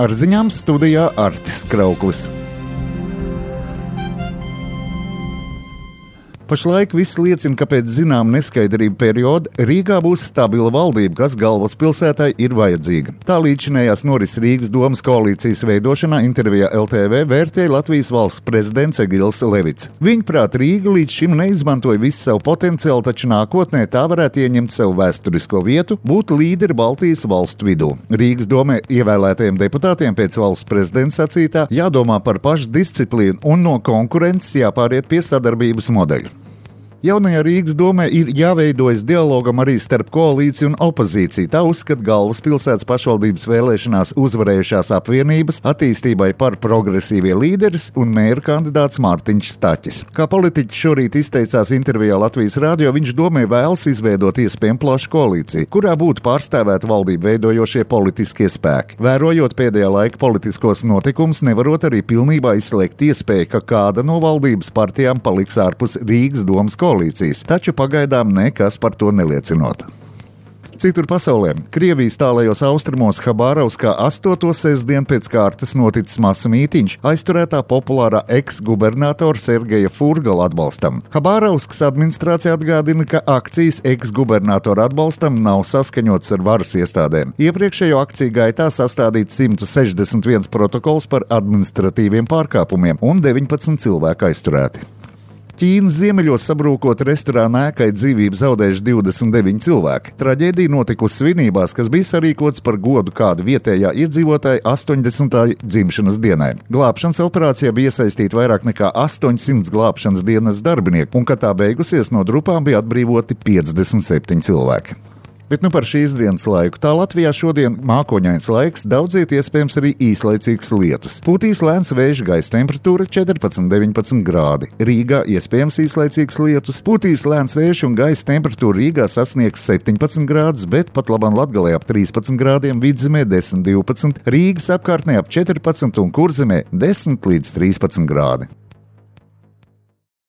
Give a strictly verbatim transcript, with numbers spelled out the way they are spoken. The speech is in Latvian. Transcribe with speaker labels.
Speaker 1: Ar ziņām studijā Artis Krauklis. Pašlaik viss liecina, ka pēc zinām neskaidrību perioda Rīgā būs stabila valdība, kas galvaspilsētai ir vajadzīga. Tā līdzinējās norises Rīgas domas koalīcijas veidošanā intervijā L T V vērtēja Latvijas valsts prezidents Egils Levits. Viņuprāt, Rīga līdz šim neizmantoja visu savu potenciālu, taču nākotnē tā varētu ieņemt savu vēsturisko vietu, būt līderi Baltijas valstu vidū. Rīgas domē ievēlētajiem deputātiem pēc valsts prezidenta sacītā jādomā par pašu disciplīnu un no konkurences jāpāriet pie sadarbības modeļa. Jaunajā Rīgas domē ir jāveidojas dialogam arī starp koalīciju un opozīciju. Tā uzskata galvaspilsētas pašvaldības vēlēšanās uzvarējušās apvienības attīstībai par progresīvie līderis un mēra kandidāts Mārtiņš Staķis. Kā politiķis šorīt izteicās intervijā Latvijas radio, viņš domē vēlas izveidot iespējami plašu koalīciju, kurā būtu pārstāvēti valdību veidojošie politiskie spēki. Vērojot pēdējā laika politiskos notikumus, nevarot arī pilnībā izslēgt iespēju, ka kāda no valdības partijām paliks ārpus Rīgas domas koalīcijas. Koalīcijas, taču pagaidām nekas par to neliecinot. Citur pasaulē, Krievijas tālajos austrumos Habārovskā astoto sestdienu pēc kārtas noticis masa mītiņš aizturētā populārā eks-gubernatora Sergeja Furgala atbalstam. Habārovskas administrācija atgādina, ka akcijas eks-gubernatora atbalstam nav saskaņotas ar varas iestādēm. Iepriekšējo akciju gaitā sastādīts simt sešdesmit viens protokols par administratīviem pārkāpumiem un deviņpadsmit cilvēki aizturēti. Ķīnas ziemeļos sabrūkot restorāna ēkai dzīvību zaudējuši divdesmit deviņi cilvēki. Traģēdija notikusi svinībās, kas bija sarīkots par godu kādu vietējā iedzīvotāja astoņdesmitajai dzimšanas dienai. Glābšanas operācijā bija iesaistīti vairāk nekā astoņsimt glābšanas dienas darbinieku, un, kad tā beigusies, no drupām bija atbrīvoti piecdesmit septiņi cilvēki. Bet nu par šīs dienas laiku. Tā Latvijā šodien mākoņains laiks, daudziet iespējams arī īslaicīgs lietus. Pūtīs lēns vējš, gaisa temperatūra četrpadsmit deviņpadsmit grādi. Rīgā iespējams īslaicīgs lietus. Pūtīs lēns vējš un gaisa temperatūra Rīgā sasniegs septiņpadsmit grādus, bet pat labam Latgalē ap trīspadsmit grādiem, Vidzemē desmit divpadsmit, Rīgas apkārtnē ap četrpadsmit un Kurzemē desmit līdz trīspadsmit grādi.